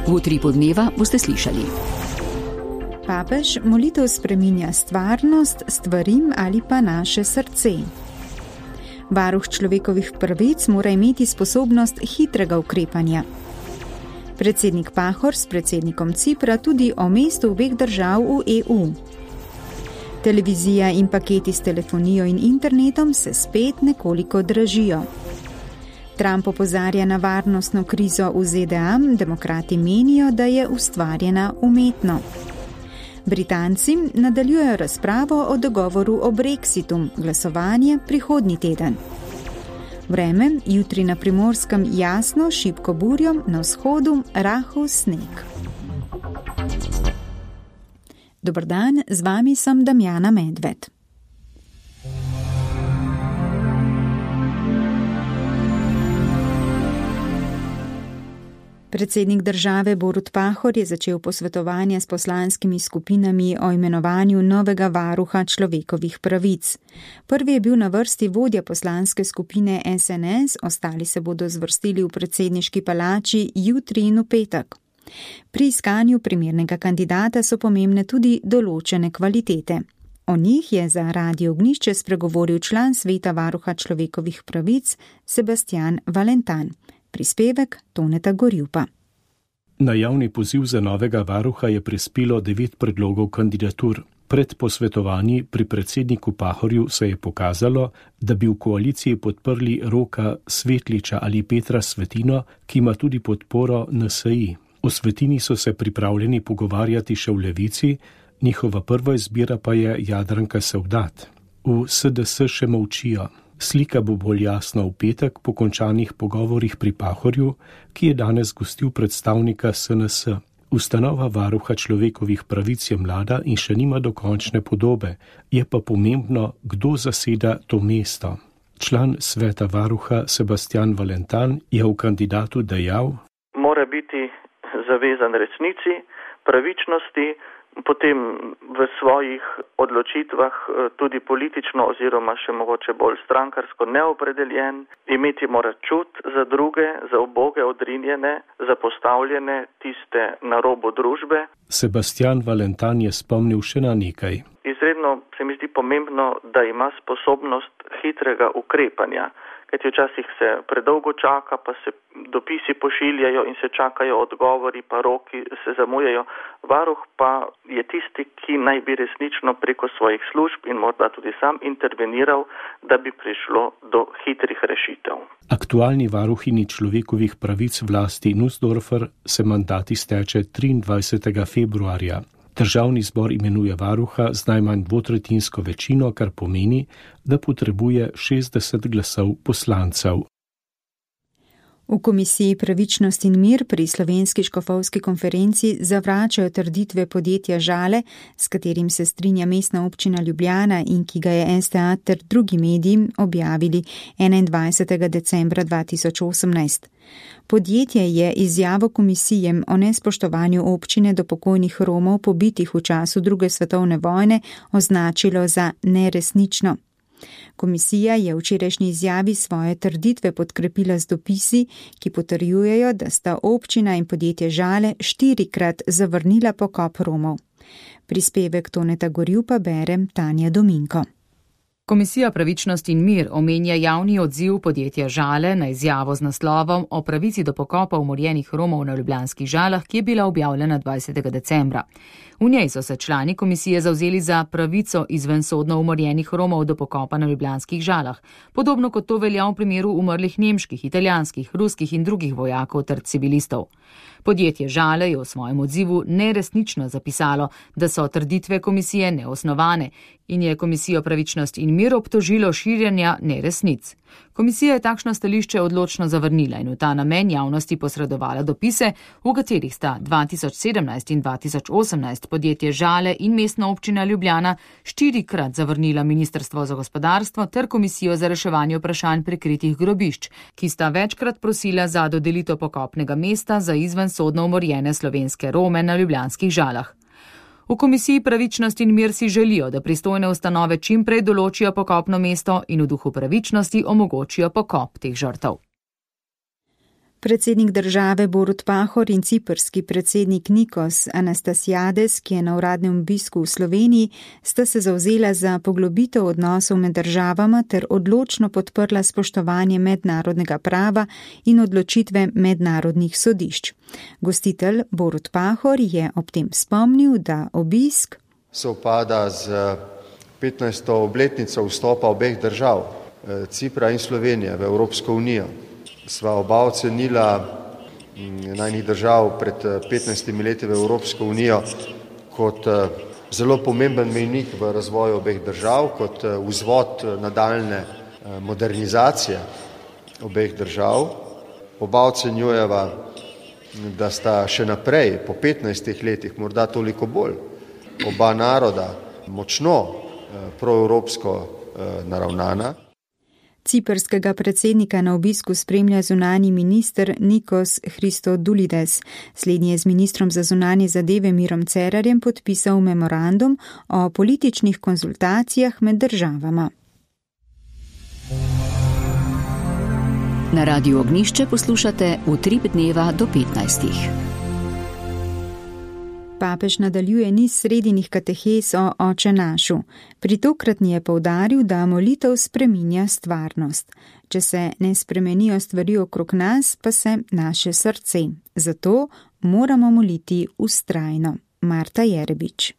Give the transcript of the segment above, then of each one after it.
V utripu dneva boste slišali. Papež molitev spreminja stvarnost, stvarim ali pa naše srce. Varuh človekovih pravic mora imeti sposobnost hitrega ukrepanja. Predsednik Pahor s predsednikom Cipra tudi o mestu obeh držav v EU. Televizija in paketi s telefonijo in internetom se spet nekoliko dražijo. Trump opozarja na varnostno krizo v ZDA, demokrati menijo, da je ustvarjena umetno. Britanci nadaljujejo razpravo o dogovoru o Brexitu, glasovanje prihodnji teden. Vreme, jutri na Primorskem jasno, šibko burjo, na vzhodu rahel sneg. Dober dan, z vami sem Damjana Medved. Predsednik države Borut Pahor je začel posvetovanje s poslanskimi skupinami o imenovanju novega varuha človekovih pravic. Prvi je bil na vrsti vodja poslanske skupine SNS, ostali se bodo zvrstili v predsedniški palači jutri in v petek. Pri iskanju primernega kandidata so pomembne tudi določene kvalitete. O njih je za Radio Ognjišče spregovoril član sveta varuha človekovih pravic Sebastian Valentan. Prispevek Toneta Gorjupa. Na javni poziv za novega varuha je prispelo 9 predlogov kandidatur. Pred posvetovanji pri predsedniku Pahorju se je pokazalo, da bi v koaliciji podprli Roka Svetliča ali Petra Svetino, ki ima tudi podporo NSI. O Svetini so se pripravljeni pogovarjati še v Levici, njihova prva izbira pa je Jadranka Sovdat. V SDS še molčijo. Slika bo bolj jasna v petek po končanih pogovorih pri Pahorju, ki je danes gostil predstavnika SNS. Ustanova varuha človekovih pravic je mlada in še nima dokončne podobe, je pa pomembno, kdo zaseda to mesto. Član sveta varuha Sebastian Valentan je v kandidatu dejal: mora biti zavezan resnici, pravičnosti, potem v svojih odločitvah tudi politično oziroma še mogoče bolj strankarsko neopredeljen, imeti mora čut za druge, za uboge, odrinjene, zapostavljene, tiste na robu družbe. Sebastian Valentan je spomnil še na nekaj. Izredno se mi zdi pomembno, da ima sposobnost hitrega ukrepanja, kajti včasih se predolgo čaka, pa se dopisi pošiljajo in se čakajo odgovori, pa roki se zamujajo. Varuh pa je tisti, ki naj bi resnično preko svojih služb in morda tudi sam interveniral, da bi prišlo do hitrih rešitev. Aktualni varuhinji človekovih pravic Vlasti Nussdorfer se mandat izteče 23. februarja. Državni zbor imenuje varuha z najmanj dvotretjinsko večino, kar pomeni, da potrebuje 60 glasov poslancev. V Komisiji Pravičnost in mir pri Slovenski škofovski konferenci zavračajo trditve podjetja Žale, s katerim se strinja Mestna občina Ljubljana in ki ga je STA ter drugi mediji objavili 21. decembra 2018. Podjetje je izjavo komisije o nespoštovanju občine do pokojnih Romov pobitih v času II. Svetovne vojne označilo za neresnično. Komisija je v včerajšnji izjavi svoje trditve podkrepila z dopisi, ki potrjujejo, da sta občina in podjetje Žale 4-krat zavrnila pokop Romov. Prispevek Toneta Gorjupa bere Tanja Dominko. Komisija Pravičnost in mir omenja javni odziv podjetja Žale na izjavo z naslovom o pravici do pokopa umorjenih Romov na Ljubljanskih Žalah, ki je bila objavljena 20. decembra. V njej so se člani komisije zavzeli za pravico izvensodno umorjenih Romov do pokopa na Ljubljanskih Žalah, podobno kot to velja v primeru umrlih nemških, italijanskih, ruskih in drugih vojakov ter civilistov. Podjetje Žale je v svojem odzivu neresnično zapisalo, da so trditve komisije neosnovane in je Komisijo Pravičnost in mir obtožilo širjenja neresnic. Komisija je takšno stališče odločno zavrnila in v ta namen javnosti posredovala dopise, v katerih sta 2017 in 2018 podjetje Žale in Mestna občina Ljubljana 4-krat zavrnila Ministrstvo za gospodarstvo ter Komisijo za reševanje vprašanj prikritih grobišč, ki sta večkrat prosila za dodelitev pokopnega mesta za izvensodno umorjene slovenske Rome na Ljubljanskih Žalah. V Komisiji Pravičnost in mir si želijo, da pristojne ustanove čim prej določijo pokopno mesto in v duhu pravičnosti omogočijo pokop teh žrtev. Predsednik države Borut Pahor in ciprski predsednik Nikos Anastasiades, ki je na uradnem obisku v Sloveniji, sta se zavzela za poglobitev odnosov med državama ter odločno podprla spoštovanje mednarodnega prava in odločitve mednarodnih sodišč. Gostitelj Borut Pahor je ob tem spomnil, da obisk sovpada z 15. obletnico vstopa obeh držav, Cipra in Slovenije, v Evropsko unijo. Sva oba ocenila najnih držav pred 15 leti v Evropsko unijo kot zelo pomemben mejnik v razvoju obeh držav, kot vzvod nadaljne modernizacije obeh držav. Oba ocenjujeva, da sta še naprej, po 15 letih, morda toliko bolj, oba naroda močno proevropsko naravnana. Ciprskega predsednika na obisku spremlja zunanji minister Nikos Christodoulides. Slednji je z ministrom za zunanje zadeve Mirom Cerarjem podpisal memorandum o političnih konzultacijah med državama. Na Radiu Ognjišče poslušate Utrip dneva do 15. Papež nadaljuje niz sredinih katehes o Oče našu. Pri tokratni je poudaril, da molitev spreminja stvarnost. Če se ne spremenijo stvari okrog nas, pa se naše srce. Zato moramo moliti vztrajno. Marta Jerebič.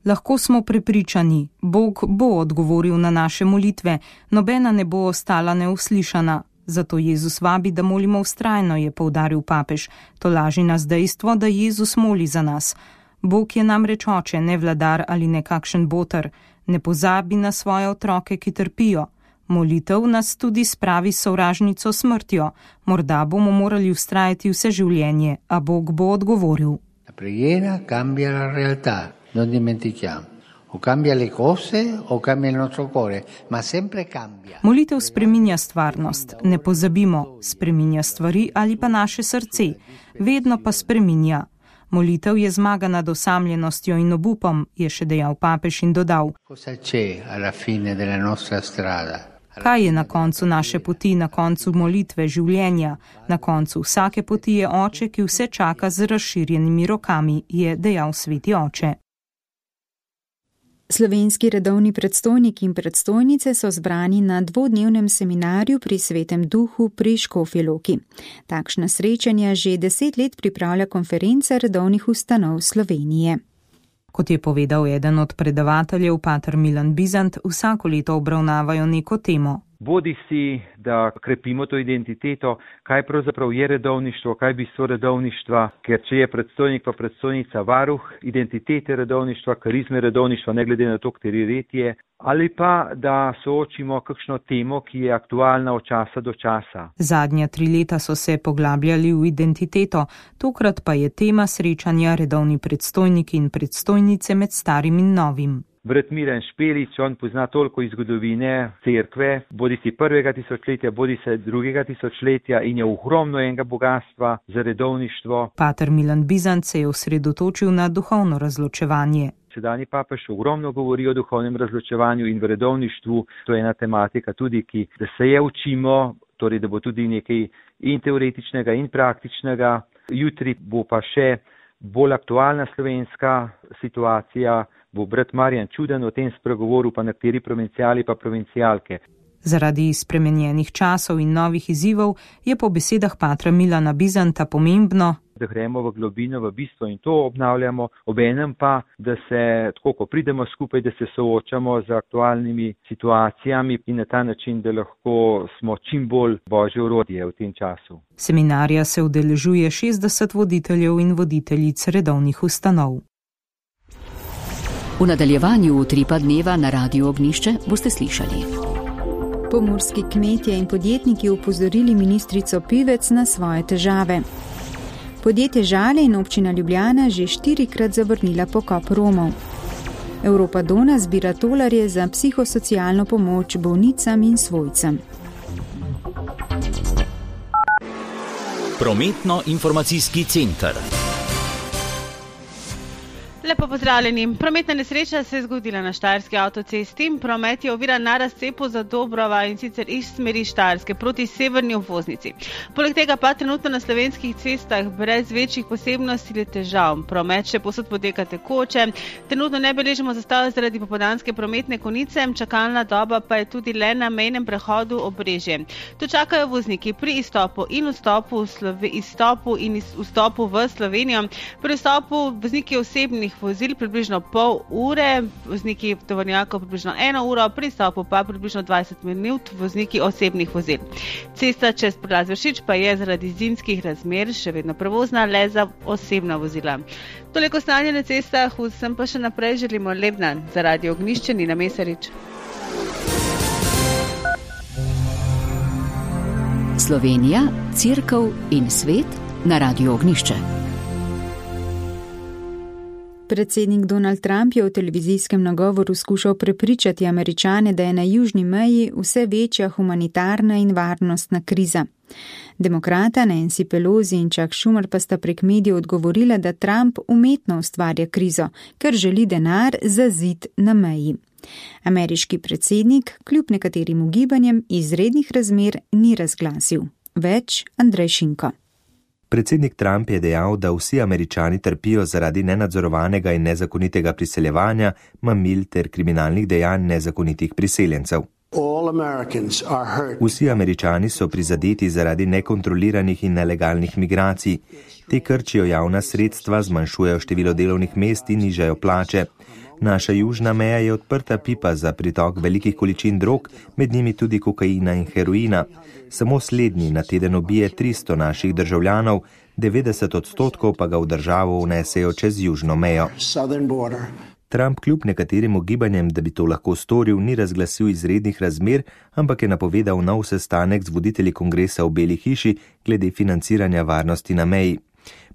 Lahko smo prepričani, Bog bo odgovoril na naše molitve, nobena ne bo ostala neuslišana. Zato Jezus vabi, da molimo vztrajno, je poudaril papež. To laži nas dejstvo, da Jezus moli za nas. Bog je namreč oče, ne vladar ali nekakšen boter. Ne pozabi na svoje otroke, ki trpijo. Molitev nas tudi spravi s sovražnico smrtjo. Morda bomo morali vztrajati vse življenje, a Bog bo odgovoril. La preghiera cambia la realtà, non dimentichiamo. O cambia le cose o cambia il nostro cuore, ma sempre cambia. Molitev spreminja stvarnost, ne pozabimo, spreminja stvari ali pa naše srce, vedno pa spreminja. Molitev je zmaga nad osamljenostjo in obupom, je še dejal papež in dodal. Cosa c'è alla fine della nostra strada? Kaj je na koncu naše poti, na koncu molitve, življenja? Na koncu vsake poti je oče, ki vse čaka z razširjenimi rokami, je dejal sveti oče. Slovenski redovni predstojniki in predstojnice so zbrani na dvodnevnem seminarju pri Svetem Duhu pri Škofji Loki. Takšna srečanja že 10 let pripravlja konferenca redovnih ustanov Slovenije. Kot je povedal eden od predavateljev, pater Milan Bizant, vsako leto obravnavajo neko temo. Bodi si, da krepimo to identiteto, kaj pravzaprav je redovništvo, kaj bistvo redovništva, ker če je predstojnik pa predstojnica varuh identitete redovništva, karizme redovništva, ne glede na to, kateri red je, ali pa da soočimo kakšno temo, ki je aktualna od časa do časa. Zadnja 3 leta so se poglabljali v identiteto, tokrat pa je tema srečanja redovni predstojniki in predstojnice med starim in novim. Brat Miran Špelič, on pozna toliko iz zgodovine cerkve, bodi si 1. tisočletja, bodi se 2. tisočletja in je ogromno enega bogatstva za redovništvo. Pater Milan Bizant se je osredotočil na duhovno razločevanje. Sedanji papež ogromno govori o duhovnem razločevanju in v redovništvu. To je ena tematika tudi, da se je učimo, torej da bo tudi nekaj in teoretičnega in praktičnega. Jutri bo pa še bolj aktualna slovenska situacija. Bo brat Marjan Čuden o tem spregovoril, pa nekateri provincijali pa provincijalke. Zaradi spremenjenih časov in novih izzivov je po besedah patra Milana Bizanta pomembno, da gremo v globino, v bistvo in to obnavljamo, obenem pa, da se, tako ko pridemo skupaj, da se soočamo z aktualnimi situacijami in na ta način, da lahko smo čim bolj božje orodje v tem času. Seminarja se udeležuje 60 voditeljev in voditeljic redovnih ustanov. V nadaljevanju Utripa dneva na Radiu Ognjišče boste slišali. Pomurski kmetje in podjetniki upozorili ministrico Pivec na svoje težave. Podjetje Žale in občina Ljubljana že 4-krat zavrnila pokop Romov. Evropa Dona zbira tolarje za psihosocialno pomoč bolnicam in svojcem. Prometno-informacijski center. Lepo pozdravljeni. Prometna nesreča se je zgodila na Štajerski avtocesti. Promet je oviran na razcepu Zadobrova in sicer iz smeri Štajerske proti severni obvoznici. Poleg tega pa trenutno na slovenskih cestah brez večjih posebnosti ali težav. Promet še povsod poteka tekoče. Trenutno ne beležimo zastojev zaradi popoldanske prometne konice, čakalna doba pa je tudi le na mejnem prehodu Obrežje. Tu čakajo vozniki pri izstopu in vstopu v Slovenijo. Pri vstopu vozniki osebnih vozil približno pol ure, vozniki tovornjakov približno 1 uro, pri izstopu pa približno 20 minut vozniki osebnih vozil. Cesta čez prelaz Vršič pa je zaradi zimskih razmer še vedno prevozna le za osebna vozila. Toliko stanje na cestah, vsem pa še naprej želimo lep dan. Za Radio Ognjišče Nina Mesarič. Slovenija, Cerkev in svet na Radio Ognjišče. Predsednik Donald Trump je v televizijskem nagovoru skušal prepričati Američane, da je na južni meji vse večja humanitarna in varnostna kriza. Demokrata Nancy Pelosi in Chuck Schumer pa sta prek medijev odgovorila, da Trump umetno ustvarja krizo, ker želi denar za zid na meji. Ameriški predsednik, kljub nekaterim ugibanjem, izrednih razmer ni razglasil. Več Andrej Šinko. Predsednik Trump je dejal, da vsi Američani trpijo zaradi nenadzorovanega in nezakonitega priseljevanja, mamil ter kriminalnih dejanj nezakonitih priseljencev. Vsi Američani so prizadeti zaradi nekontroliranih in nelegalnih migracij. Te krčijo javna sredstva, zmanjšujejo število delovnih mest in nižajo plače. Naša južna meja je odprta pipa za pritok velikih količin drog, med njimi tudi kokaina in heroina. Samo slednji na teden ubije 300 naših državljanov, 90% pa ga v državo vnesejo čez južno mejo. Trump kljub nekaterim ugibanjem, da bi to lahko storil, ni razglasil izrednih razmer, ampak je napovedal nov sestanek z voditelji kongresa v Beli hiši glede financiranja varnosti na meji.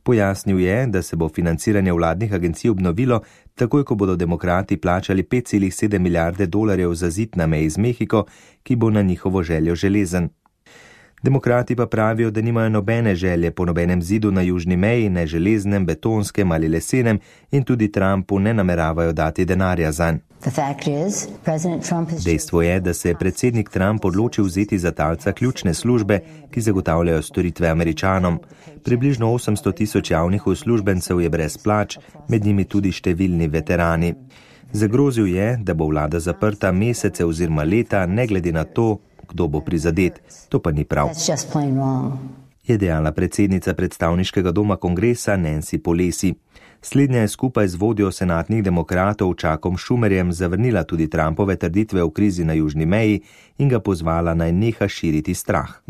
Pojasnil je, da se bo financiranje vladnih agencij obnovilo, takoj ko bodo demokrati plačali $5,7 milijarde za zid na meji z Mehiko, ki bo na njihovo željo železen. Demokrati pa pravijo, da nimajo nobene želje po nobenem zidu na južni meji, ne železnem, betonskem ali lesenem, in tudi Trumpu ne nameravajo dati denarja zanj. Dejstvo je, da se je predsednik Trump odločil vzeti za talca ključne službe, ki zagotavljajo storitve Američanom. Približno 800,000 javnih uslužbencev je brez plač, med njimi tudi številni veterani. Zagrozil je, da bo vlada zaprta mesece oziroma leta, ne glede na to, kdo bo prizadet. To pa ni prav. Je dejala predsednica predstavniškega doma kongresa Nancy Pelosi. Slednja je skupaj z vodjo senatnih demokratov Chuckom Schumerjem zavrnila tudi Trumpove trditve o krizi na južni meji in ga pozvala naj neha širiti strah.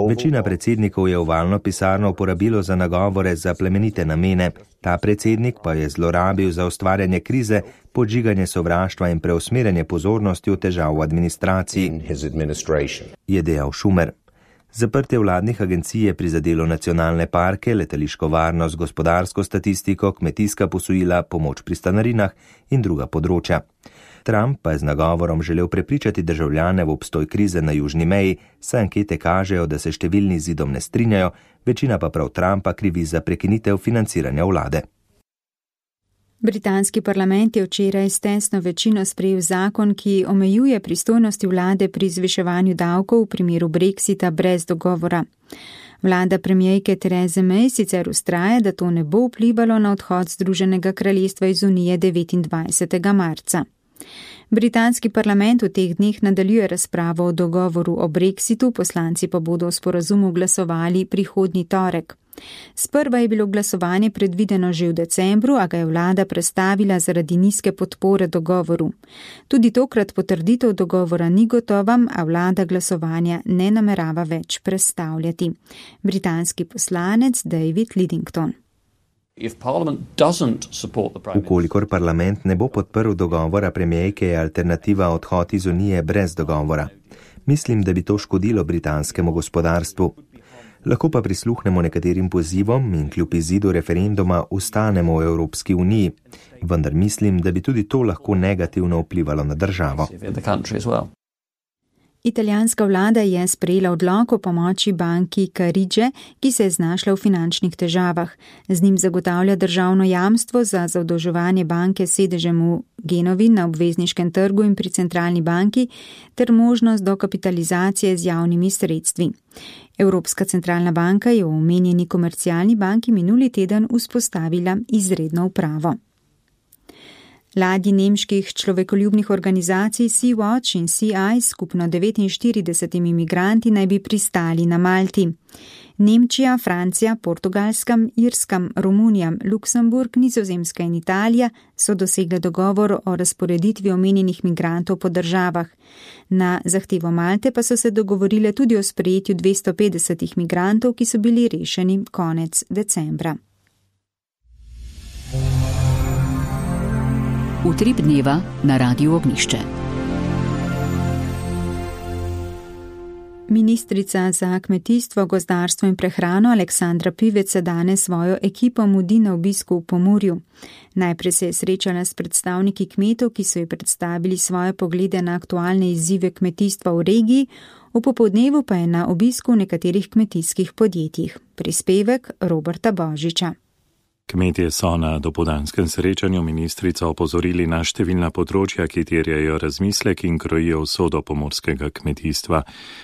Večina predsednikov je ovalno pisarno uporabilo za nagovore za plemenite namene. Ta predsednik pa je zlorabil za ustvarjanje krize, podžiganje sovraštva in preusmerjanje pozornosti v težav v administraciji, je dejal Schumer. Zaprtje vladnih agencij je prizadelo nacionalne parke, letališko varnost, gospodarsko statistiko, kmetijska posojila, pomoč pri stanarinah in druga področja. Trump pa je z nagovorom želel prepričati državljane v obstoj krize na južni meji, saj ankete kažejo, da se številni z zidom ne strinjajo, večina pa prav Trumpa krivi za prekinitev financiranja vlade. Britanski parlament je včeraj s tesno večino sprejel zakon, ki omejuje pristojnosti vlade pri zviševanju davkov v primeru Brexita brez dogovora. Vlada premierke Therese May sicer vztraja, da to ne bo vplivalo na odhod Združenega kraljestva iz Unije 29. marca. Britanski parlament v teh dneh nadaljuje razpravo o dogovoru o Brexitu, poslanci pa bodo o sporazumu glasovali prihodnji torek. Sprva je bilo glasovanje predvideno že v decembru, a ga je vlada prestavila zaradi nizke podpore dogovoru. Tudi tokrat potrditev dogovora ni gotova, a vlada glasovanja ne namerava več prestavljati. Britanski poslanec David Lidington. Ukolikor parlament ne bo podprl dogovora premierke, je alternativa odhod iz Unije brez dogovora. Mislim, da bi to škodilo britanskemu gospodarstvu. Lahko pa prisluhnemo nekaterim pozivom in kljub izidu referenduma ostanemo v Evropski uniji, vendar mislim, da bi tudi to lahko negativno vplivalo na državo. Italijanska vlada je sprejela odlok o pomoči banki Carige, ki se je znašla v finančnih težavah. Z njim zagotavlja državno jamstvo za zadolževanje banke s sedežem v Genovi na obvezniškem trgu in pri centralni banki ter možnost dokapitalizacije z javnimi sredstvi. Evropska centralna banka je v omenjeni komercialni banki minuli teden vzpostavila izredno upravo. Ladji nemških človekoljubnih organizacij Sea-Watch in Sea-Eye skupno 49 imigranti naj bi pristali na Malti. Nemčija, Francija, Portugalska, Irska, Romunija, Luksemburg, Nizozemska in Italija so dosegle dogovor o razporeditvi omenjenih migrantov po državah. Na zahtevo Malte pa so se dogovorile tudi o sprejetju 250 migrantov, ki so bili rešeni konec decembra. Utrip dneva na Radiu Ognišče. Ministrica za kmetijstvo, gozdarstvo in prehrano Aleksandra Pivec se danes svojo ekipo mudi na obisku v Pomurju. Najprej se je srečala s predstavniki kmetov, ki so ji predstavili svoje poglede na aktualne izzive kmetijstva v regiji, v popoldnevu pa je na obisku v nekaterih kmetijskih podjetjih. Prispevek Roberta Božiča. Kmetje so na dopoldanskem srečanju ministrico opozorili na številna področja, ki terjajo razmislek in krojijo usodo pomurskega kmetijstva.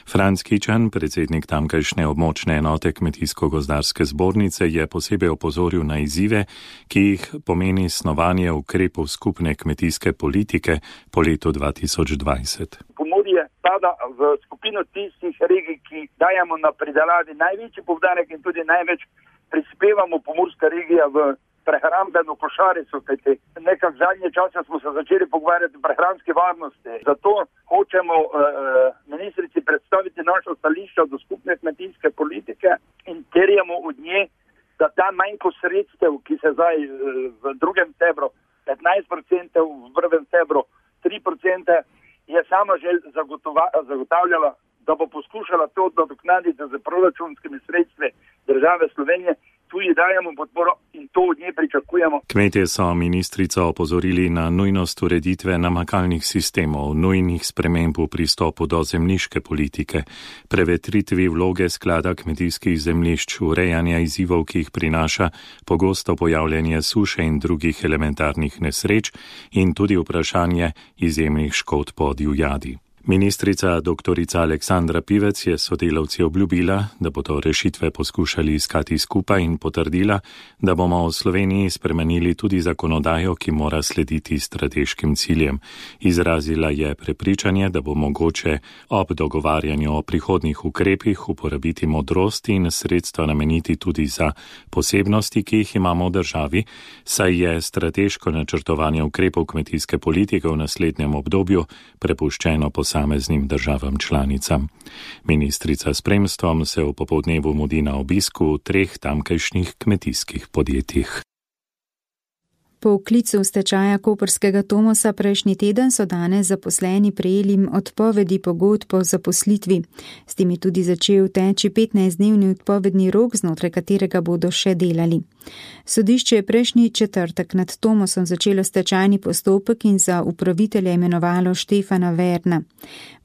Franc Kičan, predsednik tamkajšnje območne enote Kmetijsko-gozdarske zbornice, je posebej opozoril na izzive, ki jih pomeni snovanje ukrepov skupne kmetijske politike po letu 2020. Pomurje spada v skupino tistih regij, ki dajemo na pridelavi največji poudarek in tudi največ prispevamo pomurska regija v prehrambeno košarico, kajti nekak zadnje čase smo se začeli pogovarjati o prehranski varnosti. Zato hočemo ministrici predstaviti našo stališče do skupne kmetijske politike in terjamo od nje, da ta manjko sredstev, ki se zdaj v drugem stebru 15%, v prvem stebru 3%, je sama že zagotavljala, da bo poskušala to nadoknaditi z proračunskimi sredstvi države Slovenije. Tu ji dajemo podporo in to od nje pričakujemo. Kmetje so ministrico opozorili na nujnost ureditve namakalnih sistemov, nujnih sprememb v pristopu do zemljiške politike, prevetritvi vloge sklada kmetijskih zemljišč, urejanja izzivov, ki jih prinaša pogosto pojavljanje suše in drugih elementarnih nesreč in tudi vprašanje izjemnih škod po divjadi. Ministrica dr. Aleksandra Pivec je sodelavci obljubila, da bodo rešitve poskušali iskati skupaj in potrdila, da bomo v Sloveniji spremenili tudi zakonodajo, ki mora slediti strateškim ciljem. Izrazila je prepričanje, da bo mogoče ob dogovarjanju o prihodnjih ukrepih uporabiti modrost in sredstva nameniti tudi za posebnosti, ki jih imamo v državi, saj je strateško načrtovanje ukrepov kmetijske politike v naslednjem obdobju prepuščeno posameznim državam članicam. Ministrica s spremstvom se v popoldnevu mudi na obisku v 3 tamkajšnjih kmetijskih podjetjih. Po vklicu stečaja koprskega Tomosa prejšnji teden so danes zaposleni prejeli odpovedi pogodb o zaposlitvi. S tem je tudi začel teči 15-dnevni odpovedni rok, znotraj katerega bodo še delali. Sodišče je prejšnji četrtek nad Tomosom začelo stečajni postopek in za upravitelja imenovalo Štefana Verna.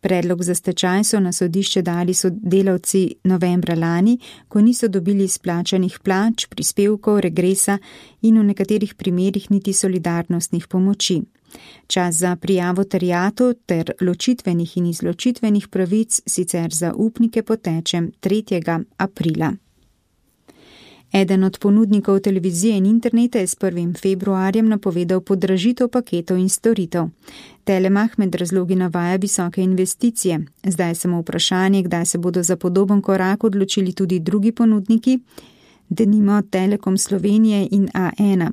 Predlog za stečaj so na sodišče dali sodelavci novembra lani, ko niso dobili izplačanih plač, prispevkov, regresa in v nekaterih primerih niti solidarnostnih pomoči. Čas za prijavo terjatov ter ločitvenih in izločitvenih pravic sicer za upnike poteče 3. aprila. Eden od ponudnikov televizije in interneta je s 1. februarjem napovedal podražitev paketov in storitev. Telemach med razlogi navaja visoke investicije. Zdaj samo vprašanje, kdaj se bodo za podoben korak odločili tudi drugi ponudniki, denimo Telekom Slovenije in A1.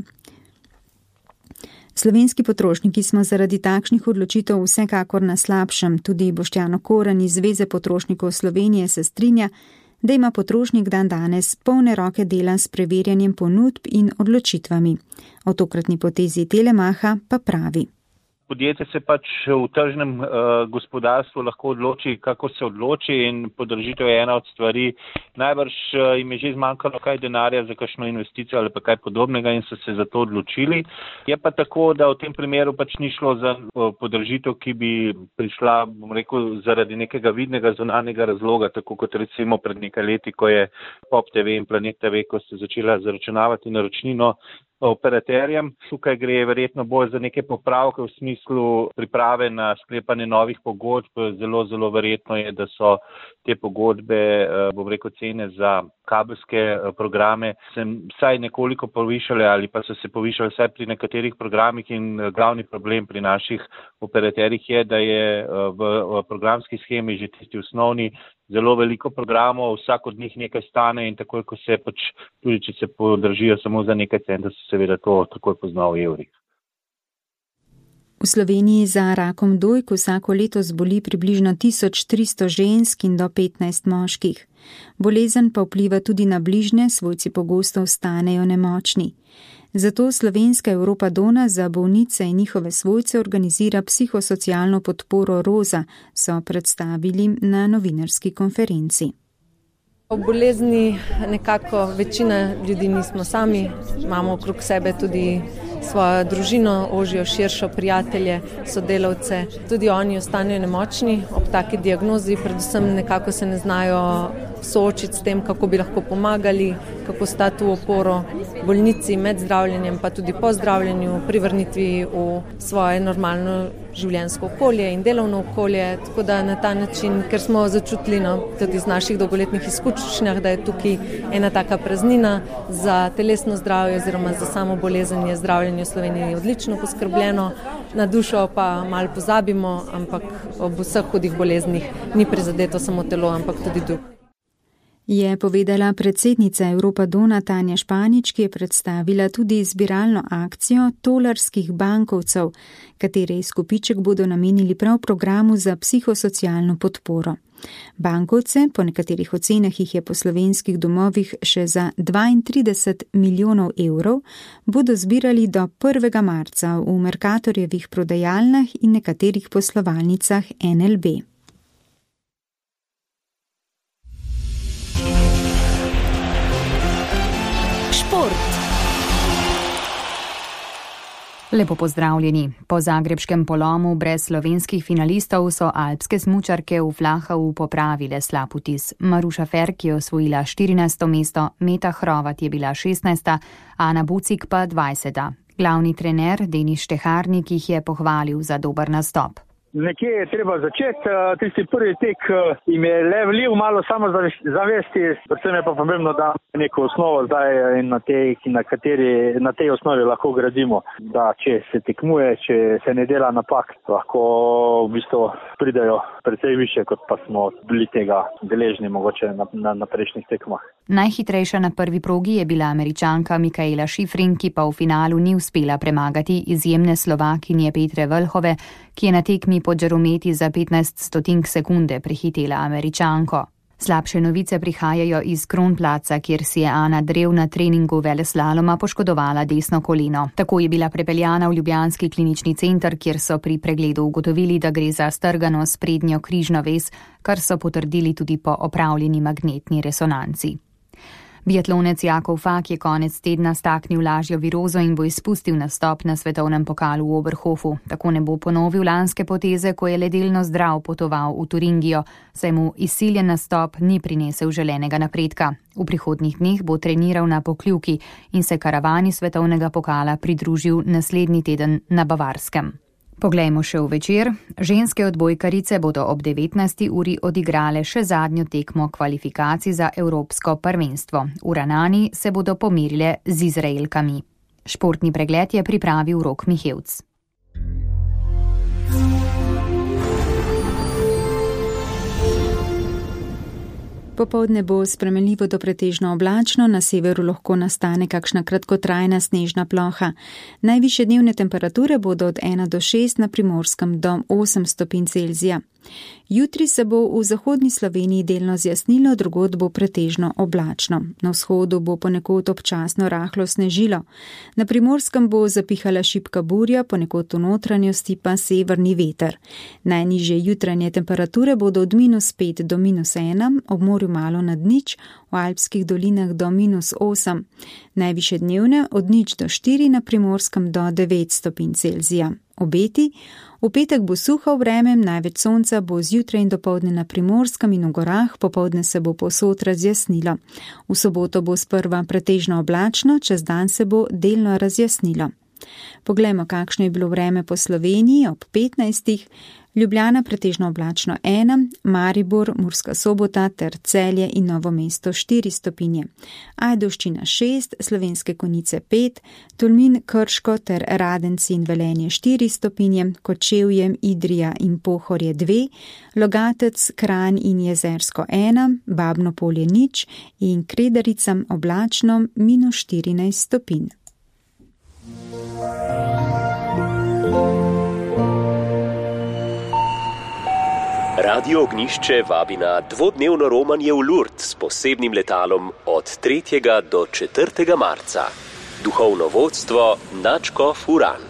Slovenski potrošniki smo zaradi takšnih odločitev vsekakor na slabšem. Tudi Boštjan Okoren iz Zveze potrošnikov Slovenije se strinja, da ima potrošnik danes polne roke dela s preverjanjem ponudb in odločitvami. O tokratni potezi Telemacha pa pravi. podjetje se pač v tržnem gospodarstvu lahko odloči, kako se odloči, in podražitev je ena od stvari. Najbrž jim je že zmanjkalo kaj denarja za kakšno investicijo ali pa kaj podobnega in so se za to odločili. Je pa tako, da v tem primeru pač ni šlo za podražitev, ki bi prišla, bom rekel, zaradi nekega vidnega zunanjega razloga, tako kot recimo pred nekaj leti, ko je Pop TV in Planet TV, ko ste začela zaračunavati naročnino operaterjem. Tukaj gre verjetno bolj za neke popravke v smislu priprave na sklepanje novih pogodb. Zelo, zelo verjetno je, da so te pogodbe, bom rekel, cene za kabelske programe se vsaj nekoliko povišale ali pa so se povišale vsaj pri nekaterih programih, in glavni problem pri naših operaterjih je, da je v programski shemi že tisti osnovni zelo veliko programov, vsak od njih nekaj stane in takoj, ko se pač, tudi če se podražijo samo za nekaj centov, se seveda to takoj pozna v evrih. V Sloveniji za rakom dojk vsako leto zboli približno 1300 žensk in do 15 moških. Bolezen pa vpliva tudi na bližnje, svojci pogosto ostanejo nemočni. Zato Slovenska Europa Dona za bolnice in njihove svojce organizira psihosocialno podporo Roza, so predstavili na novinarski konferenci. O bolezni nekako večina ljudi nismo sami, imamo okrog sebe tudi svojo družino, ožjo, širšo, prijatelje, sodelavce. Tudi oni ostanejo nemočni ob taki diagnozi, predvsem nekako se ne znajo soočiti s tem, kako bi lahko pomagali, kako stati v oporo bolnici med zdravljenjem, pa tudi po zdravljenju, pri vrnitvi v svoje normalno življenjsko okolje in delovno okolje. Tako da na ta način, ker smo začutili tudi iz naših dolgoletnih izkušnjah, da je tukaj ena taka praznina za telesno zdravje oziroma za samo bolezen, je zdravljenje v Sloveniji odlično poskrbljeno, na dušo pa malo pozabimo, ampak ob vseh hudih boleznih ni prizadeto samo telo, ampak tudi duh. Je povedala predsednica Europa Dona Tanja Španič, ki je predstavila tudi zbiralno akcijo tolarskih bankovcev, katere izkupiček bodo namenili prav programu za psihosocialno podporo. Bankovce, po nekaterih ocenah jih je po slovenskih domovih še za 32 milijonov evrov, bodo zbirali do 1. marca v Mercatorjevih prodajalnah in nekaterih poslovalnicah NLB. Lepo pozdravljeni. Po zagrebškem polomu brez slovenskih finalistov so alpske smučarke v Flachau popravile slab vtis. Maruša Ferk je osvojila 14. mesto, Meta Hrovat je bila 16., Ana Bucik pa 20. Glavni trener Denis Šteharnik jih je pohvalil za dober nastop. Nekje je treba začeti, tisti prvi tek jim je le vlil malo samozavesti, predvsem je pa pomembno, da neko osnovo zdaj in na tej osnovi lahko gradimo, da če se tekmuje, če se ne dela napak, lahko v bistvu pridejo precej više, kot pa smo bili tega deležni mogoče na prejšnjih tekmah. Najhitrejša na prvi progi je bila Američanka Mikaela Šifrin, ki pa v finalu ni uspela premagati izjemne Slovakinje Petre Vlhove, ki je na tekmi pod žarometi za 15 sekunde prehitela Američanko. Slabše novice prihajajo iz Kronplaca, kjer si je Ana Drev na treningu veleslaloma poškodovala desno koleno. Tako je bila prepeljana v ljubljanski klinični center, kjer so pri pregledu ugotovili, da gre za strgano sprednjo križno vez, kar so potrdili tudi po opravljeni magnetni resonanci. Biatlonec Jakov Fak je konec tedna staknil lažjo virozo in bo izpustil nastop na svetovnem pokalu v Oberhofu. Tako ne bo ponovil lanske poteze, ko je le delno zdrav potoval v Turingijo, saj mu izsiljen nastop ni prinesel želenega napredka. V prihodnjih dneh bo treniral na Pokljuki in se karavani svetovnega pokala pridružil naslednji teden na Bavarskem. Poglejmo še v večer. Ženske odbojkarice bodo ob 19. uri odigrale še zadnjo tekmo kvalifikacij za Evropsko prvenstvo. V Ranani se bodo pomerile z Izraelkami. Športni pregled je pripravil Rok Mihevc. Popoldne bo spremenljivo do pretežno oblačno, na severu lahko nastane kakšna kratkotrajna snežna ploha. Najvišje dnevne temperature bodo od 1 do 6, na Primorskem do 8 stopinj Celzija. Jutri se bo v zahodni Sloveniji delno zjasnilo, drugod bo pretežno oblačno. Na vzhodu bo ponekod občasno rahlo snežilo. Na Primorskem bo zapihala šibka burja, ponekod v notranjosti pa severni veter. Najnižje jutranje temperature bodo od -5 do -1, ob morju malo nad nič, v alpskih dolinah do -8. Najvišje dnevne od 0 do 4, na Primorskem do 9 stopinj Celzija. Obeti: v petek bo suho vreme, največ sonca bo zjutraj in dopoldne na Primorskem in v gorah, popoldne se bo povsod razjasnilo. V soboto bo sprva pretežno oblačno, čez dan se bo delno razjasnilo. Poglejmo, kakšno je bilo vreme po Sloveniji ob 15. Ljubljana pretežno oblačno 1, Maribor, Murska Sobota ter Celje in Novo mesto 4 stopinje. Ajdovščina 6, Slovenske Konjice 5, Tolmin, Krško ter Radenci in Velenje 4 stopinje, Kočevje, Idrija in Pohorje 2, Logatec, Kranj in Jezersko 1, Babno Polje 0 in Kredericam oblačno -14 stopinj. Radio Ognjišče vabi na dvodnevno romanje v Lourdes s posebnim letalom od 3. do 4. marca. Duhovno vodstvo nadškof Uran.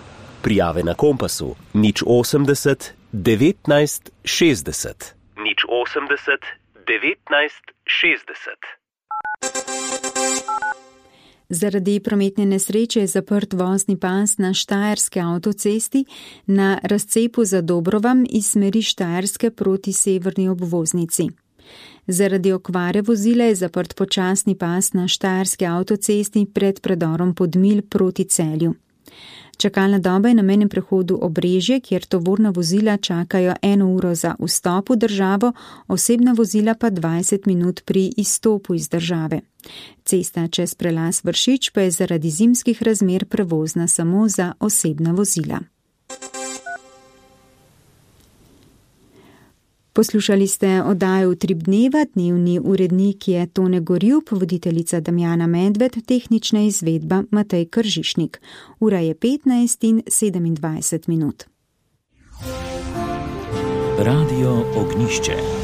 Prijave na Kompasu 080 19 60. 080 19 60. Zaradi prometne nesreče je zaprt vozni pas na štajerski avtocesti na razcepu za Dobrovam iz smeri Štajerske proti severni obvoznici. Zaradi okvare vozila je zaprt počasni pas na štajerski avtocesti pred predorom Podmilj proti Celju. Čakalna doba je na mejnem prehodu Obrežje, kjer tovorna vozila čakajo 1 uro za vstop v državo, osebna vozila pa 20 minut pri izstopu iz države. Cesta čez prelaz Vršič pa je zaradi zimskih razmer prevozna samo za osebna vozila. Poslušali ste oddajo Utrip dneva, dnevni urednik je Tone Gorjup, voditeljica Damjana Medved, tehnična izvedba Matej Kržišnik. Ura je 15:27. Radio Ognjišče.